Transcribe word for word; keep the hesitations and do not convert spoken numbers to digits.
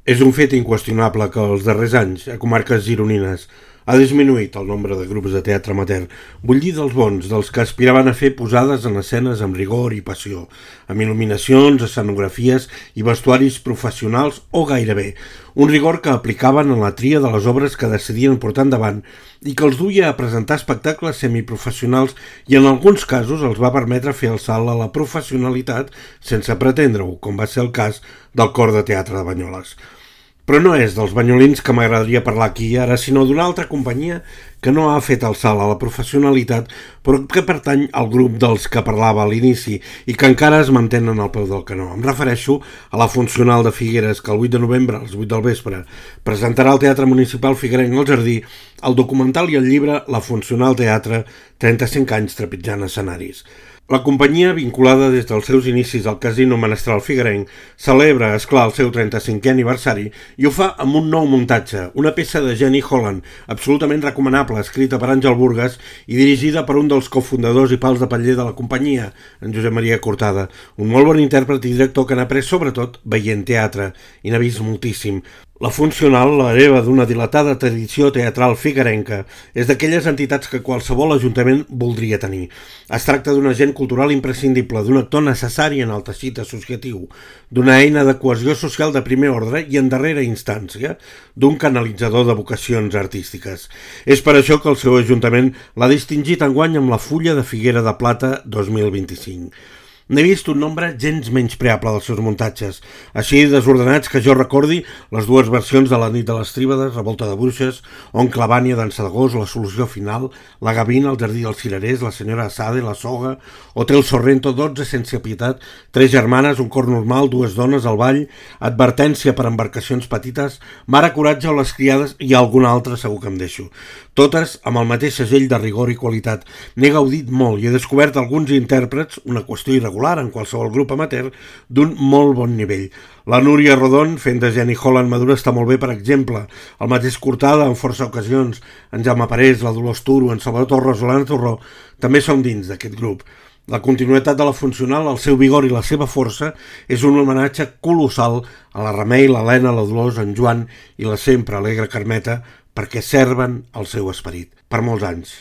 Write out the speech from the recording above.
És un fet inqüestionable que els darrers anys, a comarques gironines, ha disminuït el nombre de grups de teatre amateur, vull dir dels bons, dels que aspiraven a fer posades en escenes amb rigor i passió, amb il·luminacions, escenografies i vestuaris professionals o gairebé, un rigor que aplicaven en la tria de les obres que decidien portar endavant i que els duia a presentar espectacles semiprofessionals i en alguns casos els va permetre fer el salt a la professionalitat sense pretendre-ho, com va ser el cas del Cor de Teatre de Banyoles. Però no és dels banyolins que m'agradaria parlar aquí ara, sinó d'una altra companyia que no ha fet el salt a la professionalitat, però que pertany al grup dels que parlava a l'inici i que encara es mantenen al peu del canó. Em refereixo a la Funcional de Figueres, que el vuit de novembre, a les vuit del vespre, presentarà al Teatre Municipal Figuerenc al Jardí el documental i el llibre La Funcional Teatre, trenta-cinc anys trepitjant escenaris. La companyia, vinculada des dels seus inicis al Casino Menestral Figuerenc, celebra, esclar, el seu trenta-cinquè aniversari i ho fa amb un nou muntatge, una peça de Jenny Holland, absolutament recomanable, escrita per Àngel Burgas i dirigida per un dels cofundadors i pals de patller de la companyia, en Josep Maria Cortada, un molt bon intèrpret i director que n'ha après sobretot veient teatre i n'ha vist moltíssim. La Funcional, l'hereva d'una dilatada tradició teatral figuerenca, és d'aquelles entitats que qualsevol ajuntament voldria tenir. Es tracta d'un agent cultural imprescindible, d'un actor necessari en el teixit associatiu, d'una eina de cohesió social de primer ordre i en darrera instància, d'un canalitzador de vocacions artístiques. És per això que el seu ajuntament l'ha distingit enguany amb la Fulla de Figuera de Plata dos mil vint-i-cinc. N'he vist un nombre gens menyspreable dels seus muntatges, així desordenats que jo recordi les dues versions de La nit de les tríbades, Revolta de bruixes, Oncle Vània, Dansa de gos, La solució final, La gavina, El jardí dels cirerers, La senyora Assade, La soga, Hotel Sorrento, dotze sense pietat, Tres germanes, Un cor normal, Dues dones al ball, Advertència per embarcacions petites, Mare coratge o Les criades i alguna altra segur que em deixo. Totes amb el mateix segell de rigor i qualitat. N'he gaudit molt i he descobert alguns intèrprets, una qüestió irregular en qualsevol grup amateur, d'un molt bon nivell. La Núria Rodon, fent de Jenny Holland madura, està molt bé, per exemple. El mateix Cortada, en força ocasions, en Jaume Parés, la Dolors Turo, en Salvador Torres o l'Anna Torró, també són dins d'aquest grup. La continuïtat de la Funcional, el seu vigor i la seva força és un homenatge colossal a la Remei, l'Helena, la Dolors, en Joan i la sempre alegre Carmeta, perquè serven el seu esperit per molts anys.